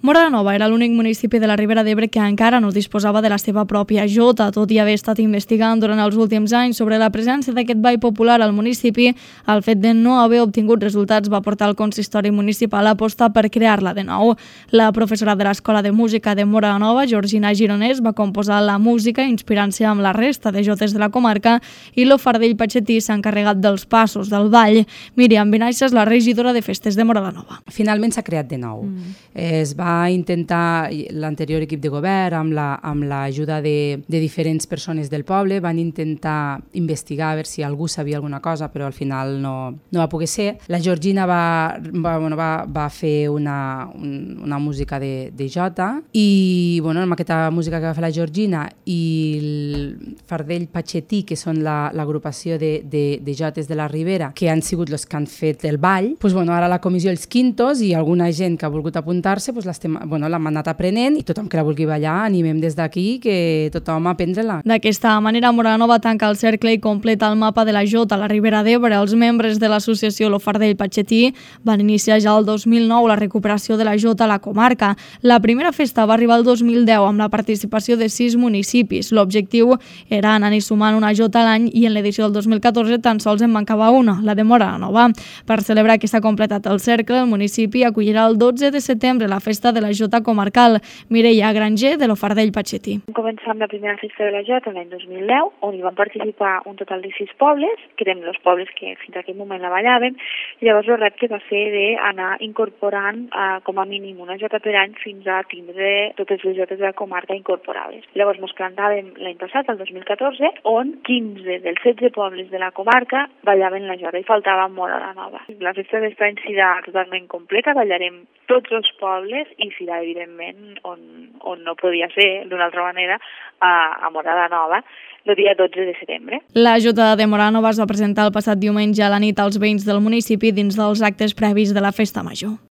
Móra la Nova era l'únic municipi de la Ribera d'Ebre que encara no disposava de la seva pròpia jota, tot i haver estat investigant durant els últims anys sobre la presència d'aquest ball popular al municipi. El fet de no haver obtingut resultats va portar el consistori municipal a apostar per crear-la de nou. La professora de l'Escola de Música de Móra la Nova, Georgina Gironès, va composar la música inspirant-se amb la resta de jotes de la comarca i lo Fardell Patxetí s'ha encarregat dels passos del ball. Míriam Benaixes, la regidora de festes de Móra la Nova. Finalment s'ha creat de nou. Es va intentar, l'anterior equip de govern, amb l'ajuda de diferents persones del poble, van intentar investigar a veure si algú sabia alguna cosa, però al final no va poder ser. La Georgina va fer una música de jota i amb aquesta música que va fer la Georgina i el Fardell Patxetí, que són l'agrupació de jotes de la Ribera, que han sigut els que han fet el ball, ara la comissió Els Quintos i alguna gent que ha volgut apuntar-se l'hem anat aprenent i tothom que la vulgui ballar animem des d'aquí que tothom a aprendre-la. D'aquesta manera, Móra la Nova tanca el cercle i completa el mapa de la jota a la Ribera d'Ebre. Els membres de l'associació Lo Fardell Patxetí van iniciar ja el 2009 la recuperació de la jota a la comarca. La primera festa va arribar el 2010 amb la participació de 6 municipis. L'objectiu era anar-hi sumant una jota a l'any i en l'edició del 2014 tan sols en mancava una, la de Móra la Nova. Per celebrar que s'ha completat el cercle, el municipi acollirà el 12 de setembre la festa de la jota comarcal. Mireia Granger, de Lo Fardell Patxetí. Vam començar amb la primera festa de la jota l'any 2010, on hi van participar un total de 6 pobles, que eren els pobles que fins a aquell moment la ballaven, i llavors el repte va ser d'anar incorporant com a mínim una jota per any fins a tindre totes les jotes de la comarca incorporades. Llavors ens plantàvem l'any passat, el 2014, on 15 dels 16 pobles de la comarca ballaven la jota i faltava Móra la Nova. La festa d'este any serà totalment completa, ballarem tots els pobles i serà, evidentment, on no podia ser d'una altra manera, a Móra la Nova, el dia 12 de setembre. La jota de Móra la Nova es va presentar el passat diumenge a la nit als veïns del municipi dins dels actes previs de la festa major.